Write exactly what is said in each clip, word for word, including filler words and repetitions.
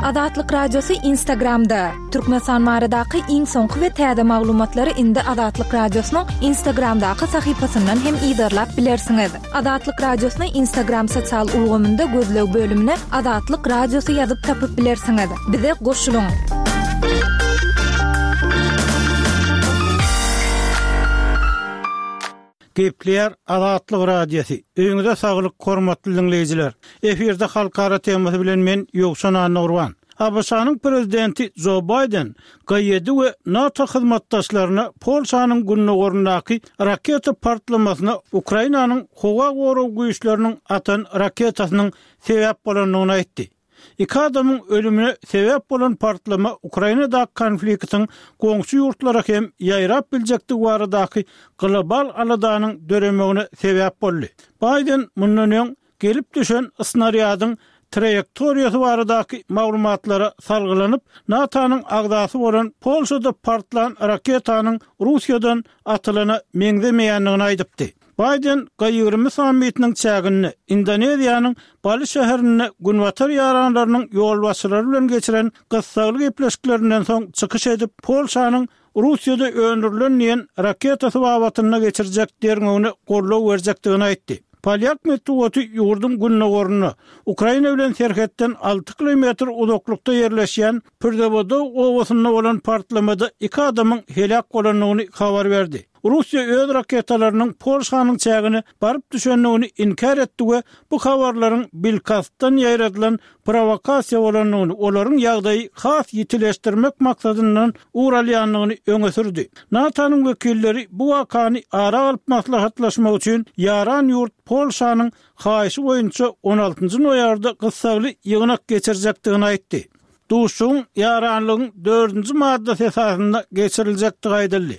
Azatlyk Radiosy Instagramda. Türkmenistan baradaky iň soňky we täze maglumatlary indi Azatlyk Radiosynyň Instagramdaky sahypasyndan hem yzarlap bilersiňiz. Azatlyk Radiosyny Instagram sosial ulgamynda gözleg bölümine Azatlyk Radiosy ýazyp tapyp bilersiňiz. Bize goşulyň. Gepleýär Azatlyk Radiosy. Öýüňize saglyk, hormatly diňleýjiler. Efirde halkara temasy bilen men Ýowşan Annagurban. ABŞ-nyň prezidenti Jo Baýden G ýedi we NATO hyzmatdaşlaryna Polşanyň gündogaryndaky raketa partlamasyna Ukrainanyň howa gorag güýçleriniň atan raketasynyň sebäp bolandygyny aýtdy. Iki adamyň ölümine sebäp bolan partlama Ukrainadaky konfliktiň goňşy ýurtlara hem ýaýrap biljekdigi baradaky global aladanyň döremegine sebäp boldy. Baýden mundan öň gelip düşen snarýadyň traýektoriýasy baradaky maglumatlara salgylanyp, NATO-nyň agzasy bolan Polşada partlan raketanyň Russiýadan atylana meňzemeýändigini aýdypdy. Baýden G ýigrimi sammitiniň çäginde Indoneziýanyň Bali şäherinde Günbatar ýaranlarynyň ýolbaşçylary bilen geçiren gyssagly gepleşiklerinden soň çykyş edip, Polşanyň Russiýada öndürilen diýen raketasy babatynda geçirjek derňewine goldaw berjekdigini aýtdy. Polýak metbugaty ýurduň gündogarynda, Ukraina bilen serhetden alty kilometr uzaklykda ýerleşýän Pyrzawodow obasynda bolan partlamada iki adamyň heläk bolandygyny habar berdi. Russiýa öz raketalarynyň Polşanyň çägine baryp düşendigini inkär etdi we bu habarlaryň bilkastdan ýaýradylan prowokasiýa bolandygyny, olaryň ýagdaýy has ýitileşdirmek maksadyndan ugur alýandygyny öňe sürdi. NATO-nyň wekilleri bu wakany ara alyp maslahatlaşmak üçin ýaran ýurt Polşanyň haýyşy boýunça on altynjy noýabrda gyssagly ýygnak geçirjekdigini aýtdy. Duşuşygyň ýaranlygyň dördünji maddasy esasynda geçiriljekdigi aýdyldy.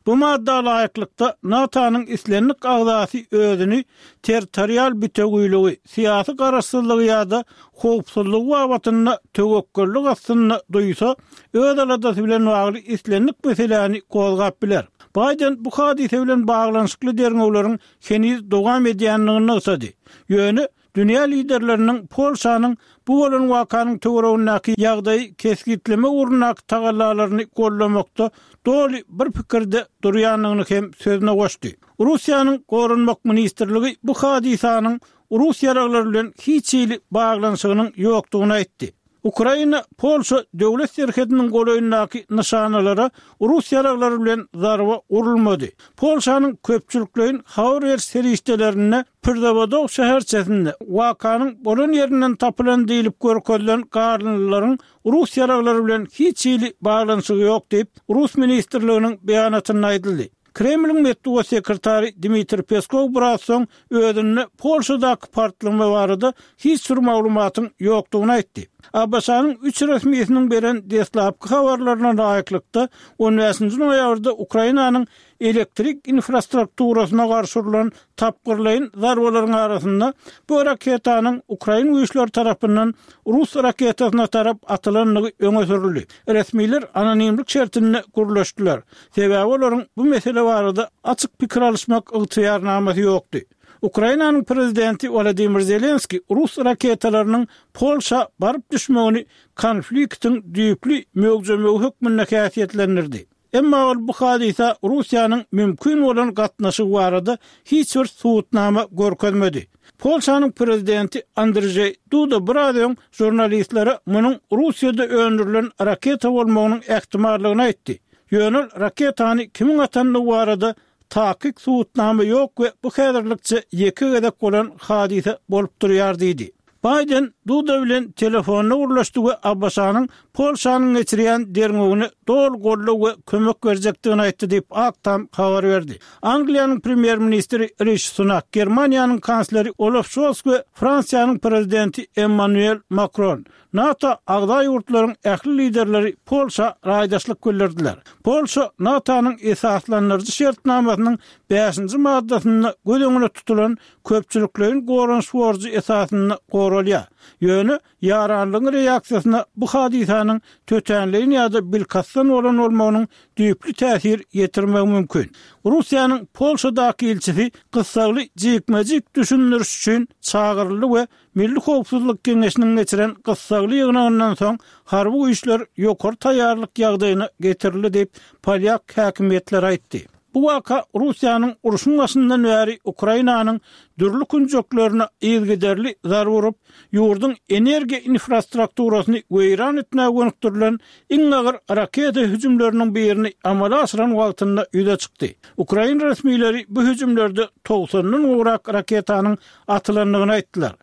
Bu madda laýyklykda, NATO-nyň islendik agzasy özüni territorial bitewüligi, syýasy garaşsyzlygy ýa-da howpsuzlygy babatynda töwekgellik astynda duýsa, öz aladasy bilen bagly islendik meseläni gozgap biler. Baýden bu hadysa bilen baglanyşykly derňewleriň heniz dowam edýändigini nygtady. Ýöne dünýä liderleriniň Polşanyň bu bolan wakanyň töweregindäki ýagdaýy kesgitleme ugrundaky tagallalaryny gollamakda doly bir pikirde durýandygyny hem sözüne goşdy. Russiýanyň Goranmak ministrligi bu hadysanyň rus ýaraglary bilen hiç hili baglanyşygynyň ýokdugyny aýtdy. Ukraina Polşa döwlet serhediniň golaýyndaky nyşanalara rus ýaraglary bilen zarba urulmady. Polşanyň köpçülikleýin habar beriş serişdelerinde Pyrzawodow şäherçesinde wakanyň bolan ýerinden tapylan diýlip görkezilen garynlylaryň rus ýaraglary bilen hiç hili baglanyşygy ýok diýip, rus ministrliginiň beýanatynda aýdyldy. Kremliň metbugat sekretary Dmitriý Peskow biraz soň özünde Polşadaky partlama barada hiç bir maglumatyň ýokdugyny aýtdy. ABŞ-nyň üç resmisiniň beren deslapky habarlaryna laýyklykda, on bäşinji noýabrda Ukrainanyň elektrik infrastrukturasyna garşy urlan tapgyrlaýyn zarbalaryň arasynda bu raketanyň ukrain güýçleri tarapyndan rus raketasyna tarap atylandygy öňe sürüldi. Resmiler anonimlik şertinde gürleşdiler. Sebäbi olaryň bu mesele barada açyk pikir alyşmak ygtyýarnamasy ýokdy. Ukrainanyň prezidenti Wolodymyr Zelenskiý rus raketalarynyň Polşa baryp düşmegini konfliktiň düýpli möwjemegi hökmünde häsiýetlendirdi. Emma ol bu hadysa Russiýanyň mümkin bolan gatnaşygy barada hiç bir subutnama görkezmedi. Polşanyň prezidenti Andrzeý Duda biraz öň žurnalistlere munuň Russiýada öndürilen raketa bolmagynyň ähtimallygyny aýtdy. Ýöne ol raketany kimiň atandygy barada takyk subutnama ýok we bu häzirlikçe ýeke gezek bolan hadysa bolup durýar diýdi. Baýden Duda bilen telefonda gürleşdi we ABŞ-nyň Polşanyň geçirýän derňewine doly goldaw we kömek berjekdigini aýtdy diýip, Ak Tam habar berdi. Angliýanyň premýer-ministri Rişi Sunak, Germaniýanyň kansleri Olaf Şols we Fransiýanyň prezidenti Emmanuel Makron, NATO agza ýurtlaryň ähli liderleri Polşa raýdaşlyk bildirdiler. Polşa NATO-nyň esaslandyryjy şertnamasynyň bäşinji maddasynda göz öňünde tutulan köpçülikleýin goranyş borjy esasynda goranýar. soralýar. Ýöne ýaranlygyň reaksiýasyna bu hadysanyň tötänleýin ýa-da bilkastdan bolan bolmagynyň düýpli täsir ýetirmegi mümkin. Russiýanyň Polşadaky ilçisi gyssagly jikme-jik düşündiriş üçin çagyryldy we Milli howpsuzlyk geňeşiniň geçiren gyssagly ýygnagyndan soň harby güýçler ýokary taýýarlyk ýagdaýyna getirildi diýip, polýak häkimiýetleri aýtdy. Bu waka Russiýanyň urşuň başyndan bäri Ukrainanyň dürli künjeklerine yzygiderli zarba urup, ýurduň energiýa infrastrukturasyny weýran etmäge gönükdirilen iň agyr raketa hüjümleriniň birini amala aşyran wagtynda ýüze çykdy. Ukrain resmileri bu hüjümlerde togsandan gowrak raketanyň atylandygyny aýtdylar.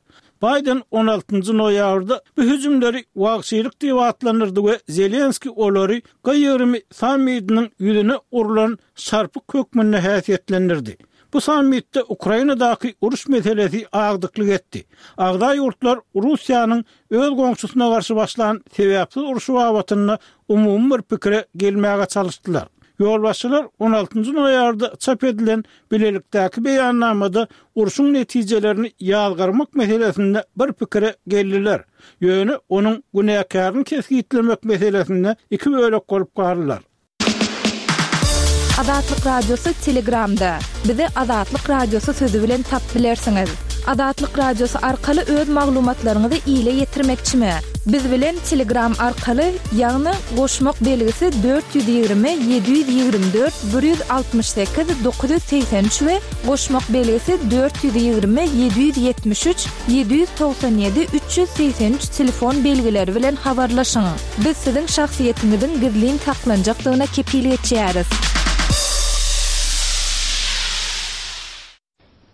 Baýden on altynjy noýabrda bu hüjümleri wagşylyk diýip atlandyrdy we Zelenskiý olary G ýigrimi sammitiniň ýüzüne urlan şarpyk hökmünde häsiýetlendirdi. Bu sammitde Ukrainadaky uruş meselesi agdyklyk etdi. Agza ýurtlar Russiýanyň öz goňşusyna garşy başlan sebäpsiz urşy babatynda umumy bir pikire gelmäge çalyşdylar. Ýolbaşçylar on altynjy noýabrda çap edilen bilelikdäki beýannamada urşuň netijelerini ýazgarmak meselesinde bir pikire geldiler. Ýöne onuň günäkärini kesgitlemek meselesinde iki bölek bolup galdylar. Azatlyk Radiosy Telegramda. Bizi Azatlyk Radiosy sözi bilen tap bilersiňiz. Azatlyk Radiosy arkaly öz maglumatlaryňyzy ile ýetirmekçimi? Biz bilen Telegram arkaly, ýagny goşmak belgisi dört ýüz ýigrimi, ýedi ýüz ýigrimi dört, bir ýüz altmyş sekiz, dokuz ýüz segsen üç we goşmak belgisi dört ýüz ýigrimi, ýedi ýüz ýetmiş üç, ýedi ýüz togsan ýedi, üç ýüz segsen üç telefon belgileri bilen habarlaşyň. Biz siziň şahsyýetiňiziň gizlin saklanjakdygyna kepil geçýäris.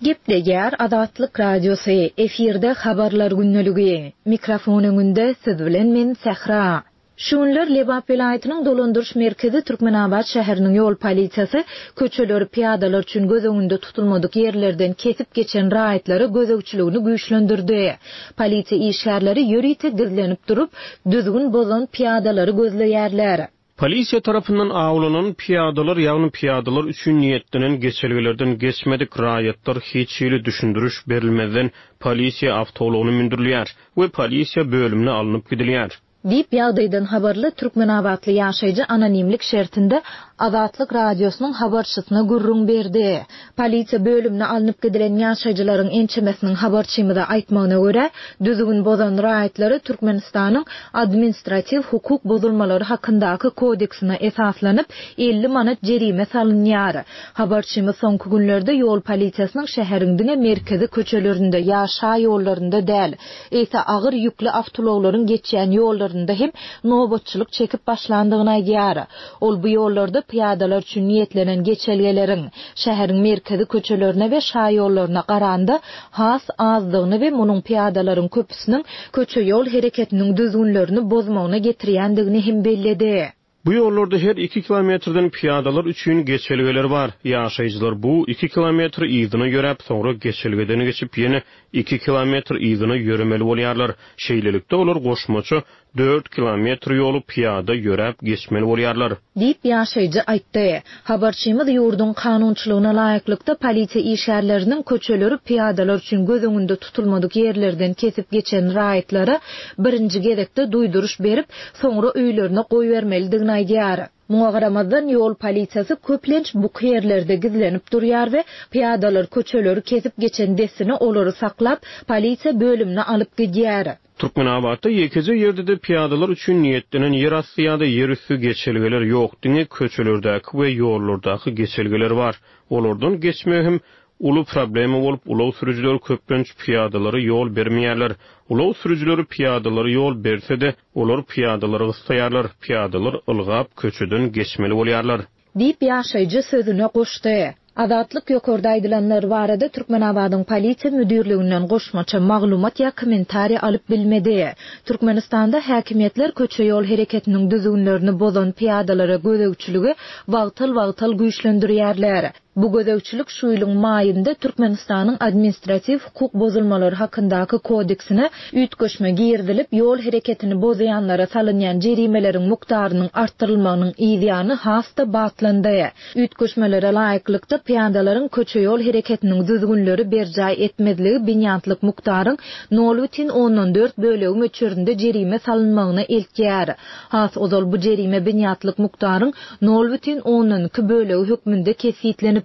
Gepleýär Azatlyk Radiosy, efirde habarlar gündeligi. Mikrofon öňünde siz bilen men Sähra. Şu günler Lebap welaýatynyň dolandyryş merkezi Türkmenabat şäheriniň ýol polisiýasy köçeleri piýadalar üçin göz öňünde tutulmadyk ýerlerden kesip geçen raýatlara gözegçiligini güýçlendirdi. Polisiýa işgärleri ýörite gizlenip durup, düzgün bozan piýadalary gözleýärler. Polisiýa tarapyndan awlanan piýadalar, ýagny piýadalar üçin niýetlenen geçelgelerden geçmedik raýatlar hiç hili düşündiriş berilmezden polisiýa awtoulagyna mündürilýär we polisiýa bölümine alnyp gidilýär. Diýip, ýagdaýdan habarly Türkmenabatly ýaşaýjy anonimlik şertinde Azatlyk Radiosynyň habarçysyna gürrüň berdi. Polisiýa bölümine alnyp gidilen ýaşaýjylaryň ençemesiniň habarçymyza aýtmagyna görä, düzgün bozan raýatlary Türkmenistanyň administratiw hukuk bozulmalary hakyndaky kodeksine esaslanyp elli manat jerime salynýar. Habarçymyz soňky günlerde ýol polisiýasynyň şäheriň diňe merkezi köçelerinde ýa şa ýollarynda däl, eýse agyr ýükli awtoulaglaryň geçýän ýollarynda hem nobatçylyk çekip başlandygyny aýdýar. Ol bu ýollarda piýadalar üçin niýetlenen geçelgeleriň şäheriň merkezi köçelerine we şa ýollaryna garanda has azdygyny we munuň piýadalaryň köpüsiniň köçe ýol hereketiniň düzgünlerini bozmagyna getirýändigini hem belledi. Bu ýollarda her iki kilometrden piýadalar üçin geçelgeler bar. Ýaşaýjylar bu iki kilometr yzyna ýöräp, soňra geçelgeden geçip ýene iki kilometr yzyna ýöremeli bolýarlar. Şeýlelikde olar goşmaça dört kilometr ýoly piýada ýöräp geçmeli bolýarlar. Diýip ýaşaýjy aýtdy. Habarçymyz ýurduň kanunçylygyna laýyklykda polisiýa işgärleriniň köçeleri piýadalar üçin göz öňünde tutulmadyk ýerlerden kesip geçen raýatlara birinji gezekde duýduryş berip, soňra öýlerine goýbermelidigini aýdýar. Muňa garamazdan ýol polisiýasy köplenç buky ýerlerde gizlenip durýar we piýadalar köçeleri kesip geçen dessine olary saklap, polisiýa bölümine alyp gidýär. Türkmenabatda ýekeje ýerde-de piýadalar üçin niýetlenen ýer asty ýa-da ýer üstü geçelgeler ýok, diňe köçelerdäki we ýollardaky geçelgeler bar. Olardan geçmek hem uly problema bolup, ulag sürüjileri köplenç piýadalara ýol bermeýärler. Ulag sürüjileri piýadalara ýol berse-de, olar piýadalary gyssaýarlar, piýadalar ylgap köçeden geçmeli bolýarlar. Diýip ýaşaýjy sözüne goşdy. Azatlyk ýokarda aýdylanlar barada Türkmenabadyň polisiýa müdirliginden goşmaça maglumat ýa kommentariýa alyp bilmedi. Türkmenistanda häkimiýetler köçe ýol hereketiniň düzgünlerini bozan piýadalara gözegçiligi wagtal-wagtal güýçlendirýärler. Bu gözegçilik şu ýylyň maýynda Türkmenistanyň Administratiw hukuk bozulmalary hakyndaky kodeksine üýtgeşme girizilip, ýol hereketini bozýanlara salynýan jerimeleriň mukdarynyň artdyrylmagynyň yzýany has-da batlandy. Üýtgeşmelere laýyklykda, pyýadalaryň köçe-ýol hereketiniň düzgünleri berjaý etmezligi binýatlyk mukdaryň nol bütin ondan dört bölegi möçberinde jerime salynmagyna eltýär. Has ozal bu jerime binýatlyk mukdaryň nol bütin ondan iki bölegi hökmünde kesgitlenipdi.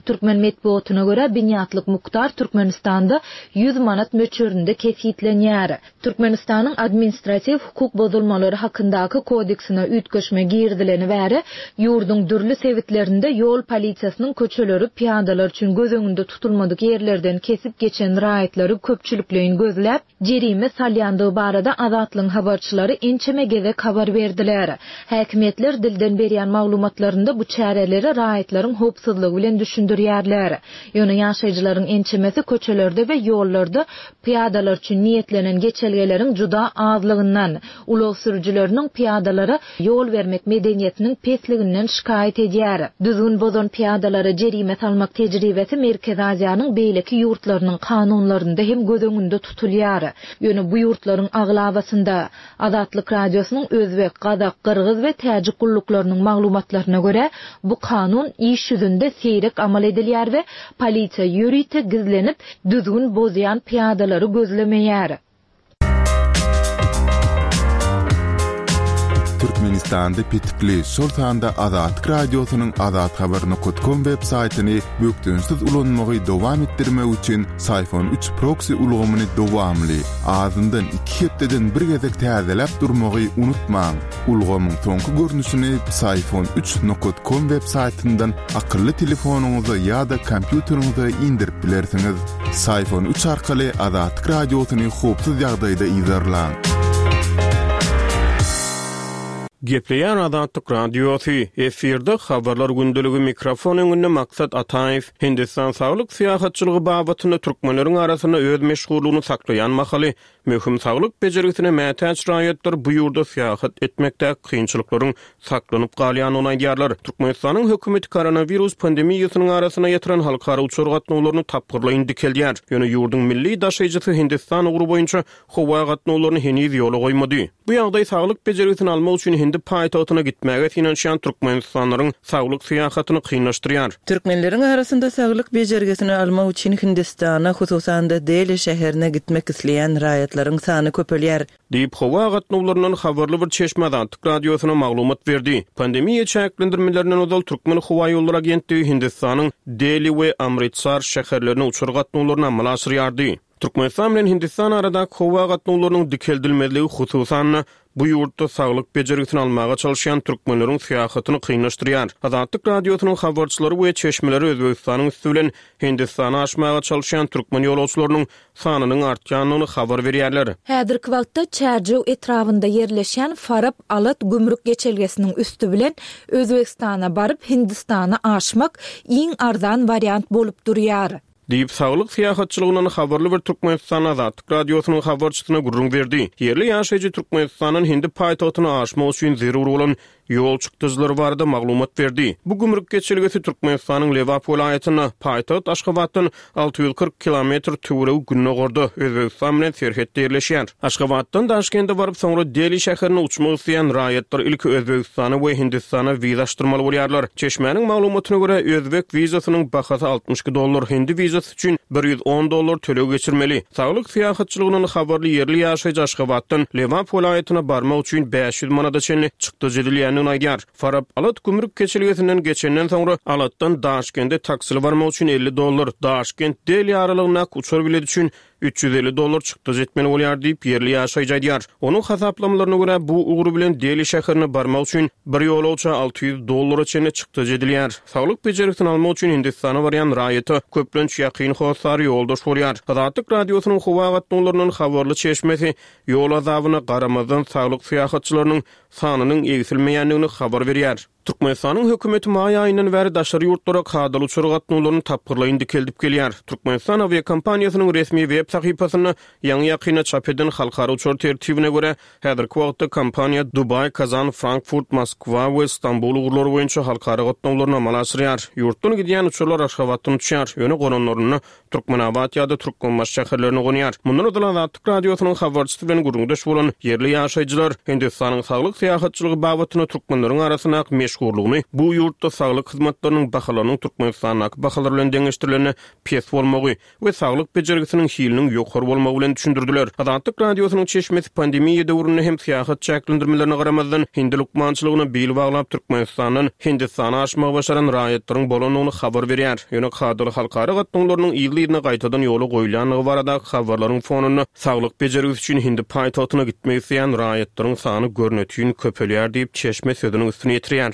Türkmen metbugatyna görä, binýatlyk mukdar Türkmenistanda ýüz manat möçberinde kesgitlenýär. Türkmenistanyň Administratiw hukuk bozulmalary hakyndaky kodeksine üýtgeşme girizileni bäri, ýurduň dürli sebitlerinde ýol polisiýasynyň köçeleri pyýadalar üçin göz öňünde tutulmadyk ýerlerden kesip geçen raýatlary köpçülikleýin gözläp, jerime salýandygy barada Azatlygyň habarçylary ençeme gezek habar berdiler. Häkimiýetler dilden berýän maglumatlarynda bu çäreleri raýatlaryň howpsuzlygy bilen düşündirýärler. Ýöne ýaşaýjylaryň ençemesi köçelerde we ýollarda pyýadalar üçin niýetlenen geçelgeleriň juda azlygyndan, ulag sürüjileriniň pyýadalara ýol bermek medeniýetiniň pesliginden şikaýat edýär. Düzgün bozan pyýadalara jerime salmak tejribesi Merkezi Aziýanyň beýleki ýurtlarynyň kanunlarynda hem göz öňünde tutulýar. Ýöne bu ýurtlaryň aglabasynda Azatlyk Radiosynyň özbek, gazak, gyrgyz we täjik gulluklarynyň maglumatlaryna görä, bu kanun iş ýüzünde seýrek amal edilýär we polisiýa ýörite gizlenip, düzgün bozýan pyýadalary gözlemeýär. Türkmenistanda petikli, şol sanda Azatlyk Radiosynyň azathabar nokat kom web saýtyny bökdençsiz ulanmagy dowam etdirmek üçin Syfon üç proksi ulgamyny dowamly, azyndan iki hepdeden bir gezek täzeläp durmagy unutmaň. Ulgamyň soňky görnüşini Syfon üç nokat kom web saýtyndan akylly telefonyňyza ýa-da kompýuteriňize indirip bilersiňiz. Syfon üç arkaly Azatlyk Radiosyny howpsuz ýagdaýda yzarlaň. Gepleýär Azatlyk Radiosy, efirde habarlar gündeligi mikrofon öňünde Maksat Ataýew. Hindistan saglyk syýahatçylygy babatynda türkmenleriň arasynda öz meşhurlygyny saklaýan mahaly möhüm saglyk bejergisine mätäç raýatlar bu ýurda syýahat etmekde kynçylyklaryň saklanyp galýandygyny aýdýarlar. Türkmenistanyň hökümeti koronawirus pandemiýasynyň arasynda ýatyran halkara uçar gatnawlaryny tapgyrlaýyn dikeldýär. Ýöne ýurduň milli daşaýjysy Hindistan ugry boýunça howa gatnawlaryny heniz ýola goýmady. Bu ýagdaý saglyk bejergisini almak üçin Hindi paýtagtyna gitmäge synanyşýan türkmenistanlaryň saglyk syýahatyny kynlaşdyrýar. Türkmenleriň arasynda saglyk bejergisini almak üçin Hindistana, hususan-da Deli şäherine gitmek isleýän raýatlaryň sany köpelýär. Diýip, howa gatnawlaryndan habarly bir çeşme Azatlyk Radiosyna maglumat berdi. Pandemiýa çäklendirmelerinden ozal Türkmen howa ýollary agentligi Hindistanyň Deli we Amritsar şäherlerine uçar gatnawlaryny amala aşyrýardy. Türkmenistan bilen Hindistan aradaky howa gatnawlarynyň dikeldilmezligi hususan-da bu ýurtda saglyk bejergisini almaga çalışýan türkmenleriň syýahatyny kynlaşdyrýar. Azatlyk Radiosynyň habarçylary we çeşmeleri Özbegistanyň üsti bilen Hindistana aşmaga çalışýan türkmen ýolagçylarynyň sanynyň artýandygyny habar berýärler. Häzirki wagtda Çärjew etrabynda ýerleşýän Farap Alat gümrük geçelgesiniň üsti bilen Özbegistana baryp Hindistana aşmak iň arzan wariant bolup durýar. Diýip, saglyk syýahatçylygyndan habarly bir Türkmenistan Azatlyk Radiosynyň habarçysyna gürrüň berdi. Ýerli ýaşaýjy Türkmenistandan Hindi paýtagtyna aşmak üçin zerur bolan ýol çykdajylary barada maglumat berdi. Bu gümrük geçelgesi Türkmenistanyň Lebap welaýatynda, paýtagt Aşgabatdan alty ýüz kyrk kilometr töweregi gündogarda Özbegistan bilen serhetde ýerleşýär. Aşgabatdan Daşkende baryp, soňra Deli şäherine uçmak isleýän raýatlar ilki Özbegistana we Hindistana wiza açdyrmaly bolýarlar. Çeşmäniň maglumatyna görä, özbek wizasynyň bahasy altmyş iki dollar, hindi wizasy üçin bir ýüz on dollar töleg geçirmeli. Saglyk syýahatçylygyndan habarly ýerli ýaşaýjy Aşgabatdan Lebap welaýatyna barmak üçin bäş ýüz manada çenli çykdajy edilýändigini aýdýar. Farap Alat gümrük geçelgesinden geçenden soňra Alatdan Daşkende taksili barmak üçin elli dollar, Daşkent Deli aralygyndaky uçar bileti üçin üç ýüz elli dollar çykdajy etmeli bolýar diýip ýerli ýaşaýjy aýdýar. Onuň hasaplamalaryna görä bu ugry bilen Deli şäherine barmak üçin bir ýolagça alty ýüz dollara çenli çykdajy edilýär. Saglyk bejergisini almak üçin Hindistana barýan raýata köplenç ýakyn hossary ýoldaş bolýar. Azatlyk Radiosynyň howa gatnawlaryndan habarly çeşmesi ýol azabyna garamazdan saglyk syýahatçylarynyň sanynyň egsilmeýändigini habar berýär. Türkmenistanyň hökümeti maý aýyndan bäri daşary ýurtlara kadaly uçar gatnawlaryny tapgyrlaýyn dikeldip gelýär. Türkmenistan awiakompaniýasynyň resmi web sahypasynda ýaňy-ýakynda çap eden halkara uçar tertibine görä, häzirki wagtda kompaniýa Dubaý, Kazan, Frankfurt, Moskwa we Stambul ugurlary boýunça halkara gatnawlaryny amala aşyrýar. Ýurtdan gidýän uçarlar Aşgabatdan uçýar, ýöne gonanlarynda Türkmenabat ýa-da Türkmenbaşy şäherlerine gonýar. Mundan ozal Azatlyk Radiosynyň habarçysy bilen gürrüňdeş bolan ýerli ýaşaýjylar Hindistanyň saglyk syýahatçylygy babatynda türkmenleriň arasyndaky meşhurlygyny bu ýurtda saglyk hyzmatlarynyň bahalarynyň Türkmenistandaky bahalar bilen deňeşdirilende pes bolmagy we saglyk bejergisiniň hiliniň ýokary bolmagy bilen düşündirdiler. Azatlyk Radiosynyň çeşmesi pandemiýa döwründe hem syýahat çäklendirmelerine garamazdan hindi lukmançylygyna bil baglap Türkmenistandan Hindistana aşmagy başaran raýatlaryň bolandygyny habar berýär. Ýöne kadaly halkara gatnawlarynyň yzly-yzyna gaýtadan ýola goýulýandygy baradaky habarlaryň fonunda saglyk bejergisi üçin hindi paýtagtyna gitmek isleýän raýatlaryň sany görnetin köpelýär diýip, çeşme sözüniň üstüni ýetirýär.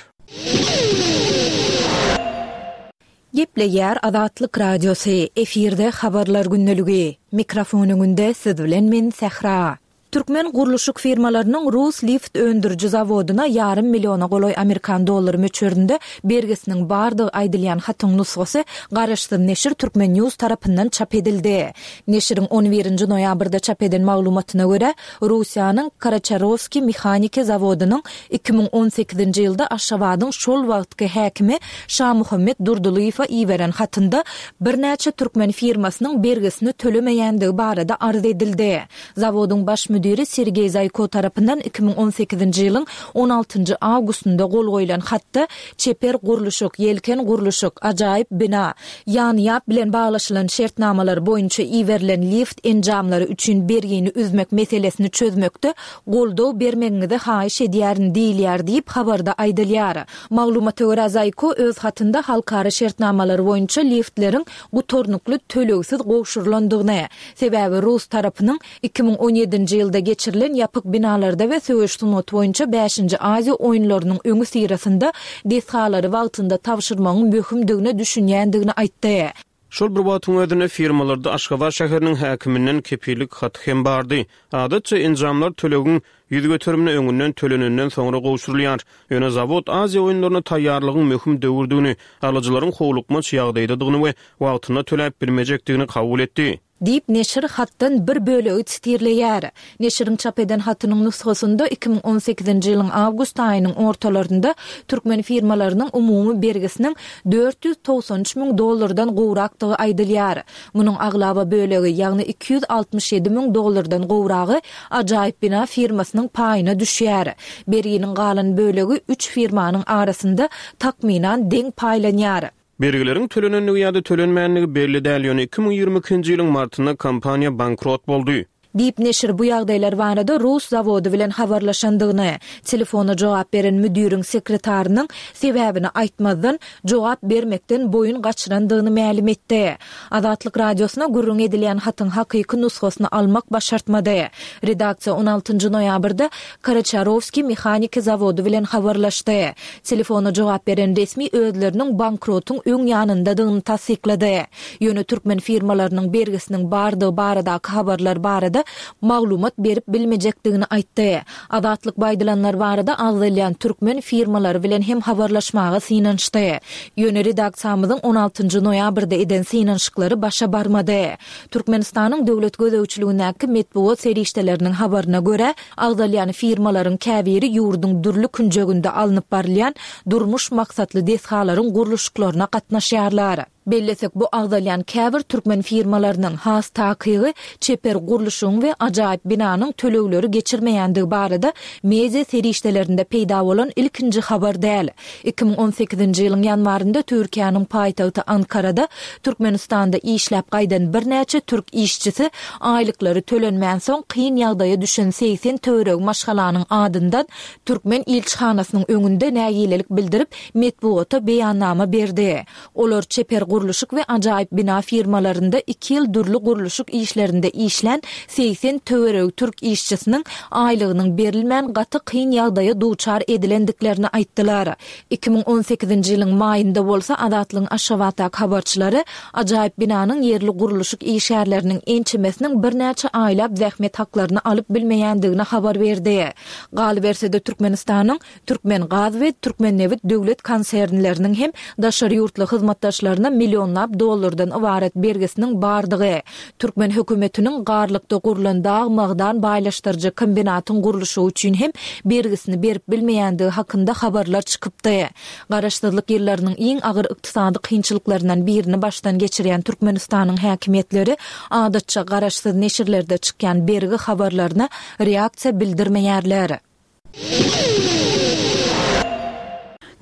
Gepleýär Azatlyk Radiosy, efirde Habarlar gündeligi. Mikrofon öňünde siz bilen men Sähra. Türkmen gurluşyk firmalarynyň rus lift öndüriji zawodyna ýarym milliona golaý amerikan dollary möçberinde bergisiniň bardygy aýdylýan hatyň nusgasy garaşsyz neşir Turkmen News tarapyndan çap edildi. Neşiriň on birinji noýabrda çap eden maglumatyna görä, Russiýanyň Karaçarowskiý mehaniki zawodynyň iki müň on sekizinji ýylda Aşgabadyň şol wagtky häkimi Şamuhammet Durdylyýewe iberen hatynda birnäçe türkmen firmasynyň bergisini tölemeýändigi barada arz edildi. Zawodyň baş müdiri Sergeý Zaýko tarapyndan iki müň on sekizinji ýylyň on altynjy awgustynda gol goýlan hatda çeper gurluşyk, ýelken gurluşyk, ajaýyp bina, ýan-ýap bilen baglaşylan şertnamalar boýunça iberilen lift enjamlary üçin bergini üzmek meselesini çözmekde goldaw bermegiňizi haýyş edýärin diýilýär diýip habarda aýdylýar. Maglumata görä Zaýko öz hatynda halkara şertnamalary boýunça liftleriň gutarnykly tölegsiz gowşurylandygyny, sebäbi rus tarapynyň iki müň on ýedinji ýylda geçirilen ýapyk binalarda we söweş sungaty boýunça bäşinji Aziýa oýunlarynyň öňüsyrasynda desgalary wagtynda tabşyrmagyň möhümdigine düşünýändigini aýtdy. Şol bir wagtyň özünde firmalarda Aşgabat şäheriniň häkiminden kepillik haty hem bardy. Adatça enjamlar tölegiň ýüz göterimini öňünden tölenenden soňra gowşurylýar. Ýöne zawod Aziýa oýunlaryna taýýarlygyň möhüm döwürdügini, alyjylaryň howlukmaç ýagdaýdadygyny we wagtynda töläp bilmejekdigini kabul etdi. Diýip, neşir hatdan bir bölegi sitirleýär. Neşiriň çap eden hatynyň nusgasynda iki müň on sekizinji ýylyň awgust aýynyň ortalarynda türkmen firmalarynyň umumy bergisiniň dört ýüz togsan üç müň dollardan gowrakdygy aýdylýar. Munuň aglaba bölegi, ýagny iki ýüz altmyş ýedi müň dollardan gowragy Ajaýyp bina firmasynyň paýyna düşýär. Berginiň galan bölegi üç firmanyň arasynda takmynan deň paýlanýar. Bergileriň tölenendigi ýa-da tölenmänligi belli däl, ýöne iki müň ýigrimi ikinji ýylyň martynda kompaniýa bankrot boldy. Diýip, neşir bu ýagdaýlar barada rus zawody bilen habarlaşandygyny, telefona jogap beren müdiriň sekretarynyň sebäbini aýtmazdan, jogap bermekden boýun gaçyrandygyny mälim etdi. Azatlyk Radiosyna gürrüň edilýän hatyň hakyky nusgasyny almak başartmady. Redaksiýa on altynjy noýabrda Karaçarowskiý mehaniki zawody bilen habarlaşdy. Telefona jogap beren resmi özleriniň bankrotyň öň ýanyndadygyny tassyklady. Ýöne türkmen firmalarynyň bergisiniň bardygy baradaky habarlar barada maglumat berip bilmejekdigini aýtdy. Azatlyk bu aýdylanlar barada agzalýan türkmen firmalary bilen hem habarlaşmaga synanyşdy. Ýöne redaksiýamyzyň on altynjy noýabrda eden synanyşyklary başa barmady. Türkmenistanyň döwlet gözegçiligindäki metbugat serişdeleriniň habaryna görä, agzalýan firmalaryň käbiri ýurduň dürli künjeginde alnyp barylýan durmuş maksatly desgalaryň gurluşyklaryna gatnaşýarlar. Bellesek, bu agzalýan käbir türkmen firmalarynyň, has takygy, çeper gurluşygyň we ajaýyp binanyň tölegleri geçirmeýändigi barada media serişdelerinde peýda bolan ilkinji habar däl. Iki müň on sekizinji ýylyň ýanwarynda Türkiýäniň paýtagty Ankarada Türkmenistanda işläp gaýdan birnäçe türk işçisi aýlyklary tölenmänsoň kyn ýagdaýa düşen segsen töweregi maşgalanyň adyndan türkmen ilçihanasynyň öňünde nägilelik bildirip, metbugata beýannama berdi. Olar çeper gurluşyk we Ajaýyp bina firmalarynda iki ýyl dürli gurluşyk işlerinde işlän segsen töweregi türk işçisiniň aýlygynyň berilmän gaty kyn ýagdaýa duçar edilendiklerini aýtdylar. Iki müň on sekizinji ýylyň maýynda bolsa Azatlygyň Aşgabatdaky habarçylary Ajaýyp binanyň ýerli gurluşyk işgärleriniň ençemesiniň birnäçe aýlap zähmet haklaryny alyp bilmeýändigini habar berdi. Galyberse-de Türkmenistanyň Türkmengaz we Türkmennebit döwlet konsernleriniň hem daşary ýurtly hyzmatdaşlaryna millionlap dollardan ybarat bergisiniň bardygy, türkmen hökümetiniň Garlykda gurlan dag magdan baýlaşdyryjy kombinatyň gurluşygy üçin hem bergisini berip bilmeýändigi hakynda habarlar çykypdy. Garaşsyzlyk ýyllarynyň iň agyr ykdysady kynçylyklaryndan birini başdan geçirýän Türkmenistanyň häkimiýetleri adatça garaşsyz neşirlerde çykýan bergi habarlaryna reaksiýa bildirmeýärler.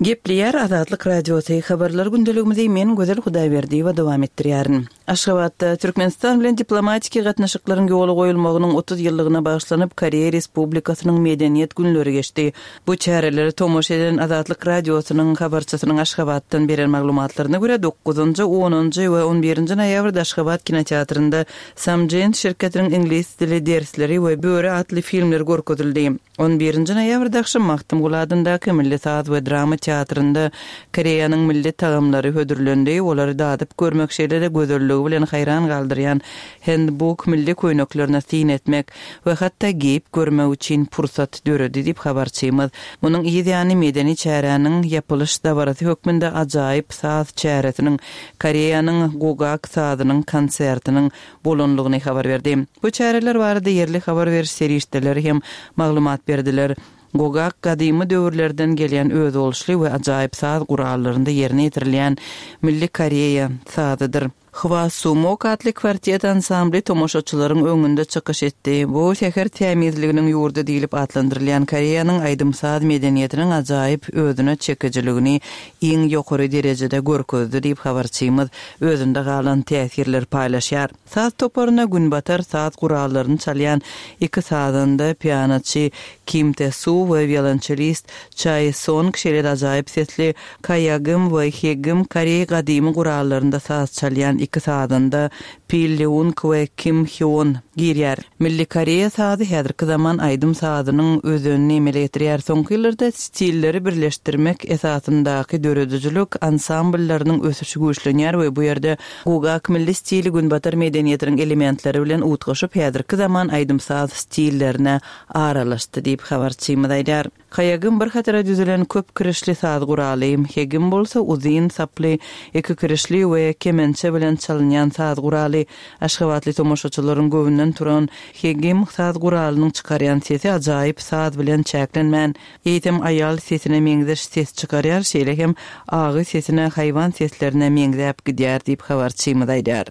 Gepleýär Azatlyk Radiosy habarlar gündeligimizi men Gözel Hudaýberdiýewa dowam etdirýärin. Aşgabatda Türkmenistan bilen diplomatiki gatnaşyklaryň ýola goýulmagynyň otuz ýyllygyna bagyşlanyp Koreýa Respublikasynyň medeniýet günleri geçdi. Bu çäreleri tomaşa eden Azatlyk Radiosynyň habarçysynyň Aşgabatdan beren maglumatlaryna görä dokuzynjy, onunjy we on birinji noýabrda Aşgabat kinoteatrynda Samjin şirketiniň iňlis dili dersleri we Böri atly filmler görkezildi. On birinji noýabrda agşam Magtymguly adyndaky Milli saz we drama teatrynda Koreýanyň milli tagamlary hödürlendi. Olary dadyp görmek şeýle-de gözelligi bilen haýran galdyrýan handbook milli köýneklerine syn etmek we hatda geýip görmek üçin pursat döredi diýip habarçymyz. Munuň yz ýany medeni çäräniň ýapylyş dabarasy hökmünde ajaýyp saz çäresiniň Koreýanyň Gugak sazynyň konsertiniň bolanlygyny habar berdi. Bu çäreler barada ýerli habar beriş serişdeleri hem maglumat berdiler. Gugak gadymy döwürlerden gelýän özboluşly we ajaýyp saz gurallarynda ýerine ýetirilýän milli Koreýa sazydyr. Hwa Sumok atly kwartet ansambly tomaşaçylaryň öňünde çykyş etdi. Bu şäher tämizliginiň ýurdy diýlip atlandyrylýan Koreýanyň aýdym-saz medeniýetiniň ajaýyp özüne çekijiligini iň ýokary derejede görkezdi diýip habarçymyz özünde galan täsirler paýlaşýar. Saz toparyna günbatar saz gurallaryny çalýan iki sazanda pianoçy Kim Tae-soo we violonçelist Chae Song şeýle ajaýyp sesli Kaýagym we Hegim Koreý gadymy gurallarynda saz çalýan iki sazanda Pil Leung we Kim Hyun girýär. Milli Koreýa sazy häzirki zaman aýdym sazynyň özenini emele getirýär. Soňky ýyllarda stilleri birleşdirmek esasyndaky döredijilik ansambllarynyň ösüşi güýçlenýär we bu ýerde Gugak milli stili günbatar medeniýetiniň elementleri bilen utgaşyp häzirki zaman aýdym saz stillerine aralaşdy diýip habarçymyz aýdar. Kaýagym bir hatara düzülen köp kirişli saz guraly, hegim bolsa uzyn saply, iki kirişli we kemençe bilen çalynýan saz guraly. Aşgabatly tomaşaçylaryň göwünden turan hegim saz guralynyň çykarýan sesi ajaýyp saz bilen çäklenmän, eýsem aýal sesine meňzeş ses çykarýar, şeýle hem agy sesine haýwan seslerine meňzäp gidýär diýip habarçymyz aýdar.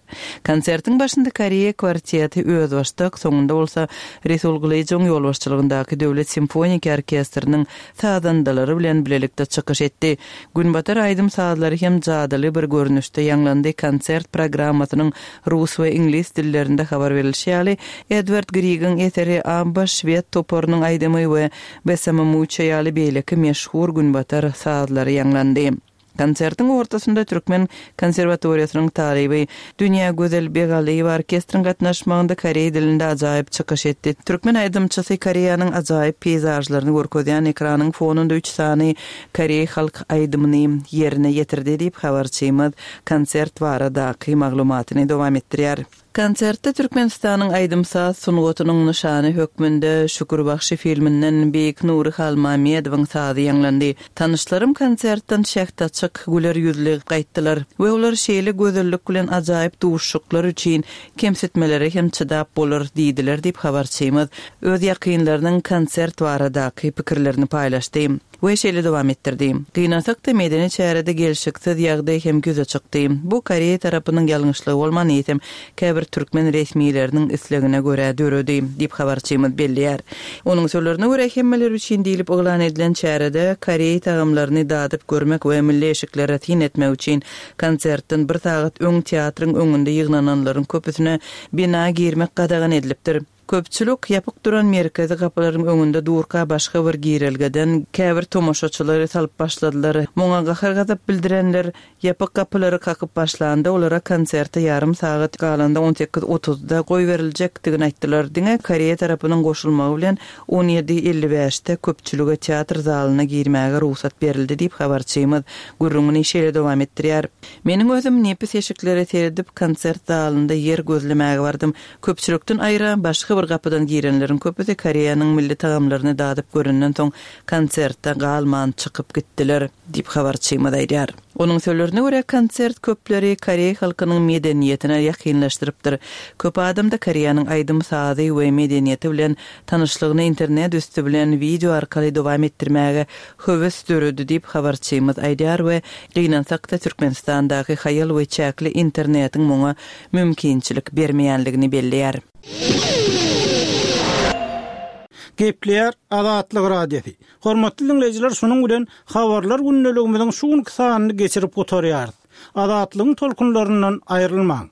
Konsertiň başynda Koreýa kwarteti özbaşdak, soňunda bolsa Resul Gylyjowyň ýolbaşçylygyndaky Döwlet simfoniki orkestriniň sazandalary bilen bilelikde çykyş etdi. Günbatar aýdym sazlary hem jadyly bir görnüşde ýaňlandy. Konsert programmasynyň rus we iňlis dillerinde habar berilişi ýaly, Edward Griegiň eseri Abba şwed toparynyň aýdymy we Besame Mucho ýaly beýleki meşhur günbatar sazlary ýaňlandy. Konsertiň ortasynda Türkmen konserwatoriýasynyň talyby Dünýä Gözel Begalyýewa orkestriň gatnaşmagynda koreý dilinde ajaýyp çykyş etdi. Türkmen aýdymçysy Koreýanyň ajaýyp peýzažlaryny görkezýän ekranyň fonunda üç sany koreý halk aýdymyny ýerine ýetirdi diýip habarçymyz konsert baradaky maglumatyny dowam etdirýär. Konsertde Türkmenistanyň aýdym-saz sungatynyň nyşany hökmünde Şükür Bagşy filminden Beýik Nury Halmamedowyň sazy ýaňlandy. Tanyşlarym konsertden şähdaçyk güler ýüzli gaýtdylar we olar şeýle gözellik bilen ajaýyp duşuşyklar üçin kemsitmelere hem çydap bolar diýdiler diýip habarçymyz öz ýakynlarynyň konsert baradaky pikirlerini paýlaşdy. We şeýle dowam etdirdi. Gynansak-da medeni çärede gelşiksiz ýagdaý hem ýüze çykdy. Bu Koreýa tarapynyň ýalňyşlygy bolman eýsem käbir türkmen resmileriniň islegine görä döredi diýip habarçymyz belleýär. Onuň sözlerine görä hemmeler üçin diýlip yglan edilen çärede koreý tagamlaryny dadyp görmek we milli eşiklere syn etmek üçin konsertden bir sagat öň teatryň öňünde ýygnananlaryň köpüsine bina girmek gadagan edilipdir. Köpçülik ýapyk duran merkezi gapylaryň öňünde durka başga bir girelgeden käbir tomaşaçylary salyp başladylar. Muňa gahar-gazap bildirenler ýapyk gapylary kakyp başlanda olara konserte ýarym sagat galanda on sekiz otuzda goýberiljekdigini aýtdylar. Diňe Koreýa tarapynyň goşulmagy bilen on ýedi elli bäşde köpçülige teatr zalyna girmäge rugsat berildi diýip habarçymyz gürrüňini şeýle dowam etdirýär. Meniň özüm nepis eşiklere seredip konsert zalynda ýer gözlemäge bardym. Köpçülikden aýra başga bir gapydan girenleriň köpüsi Koreýanyň milli tagamlaryny dadyp görenden soň konsertde galman çykyp gitdiler diýip habarçymyz aýdýar. Onuň sözlerine görä konsert köpleri Koreý halkynyň medeniýetine ýakynlaşdyrypdyr. Köp adamda Koreýanyň aýdym sazy we medeniýeti bilen tanyşlygyny internet üsti bilen wideo arkaly dowam etdirmäge höwes döredi diýip habarçymyz aýdýar we gynansakda Türkmenistandaky haýal we çäkli internetiň muňa mümkinçilik bermeýänligini belleýär. Gepleýär Azatlyk Radiosy. Hormatly dinleýjiler, şunuň bilen habarlar gündeligimiziň şu günki sanyny geçirip gutarýarys. Azatlygyň tolkunlaryndan aýrylmaň.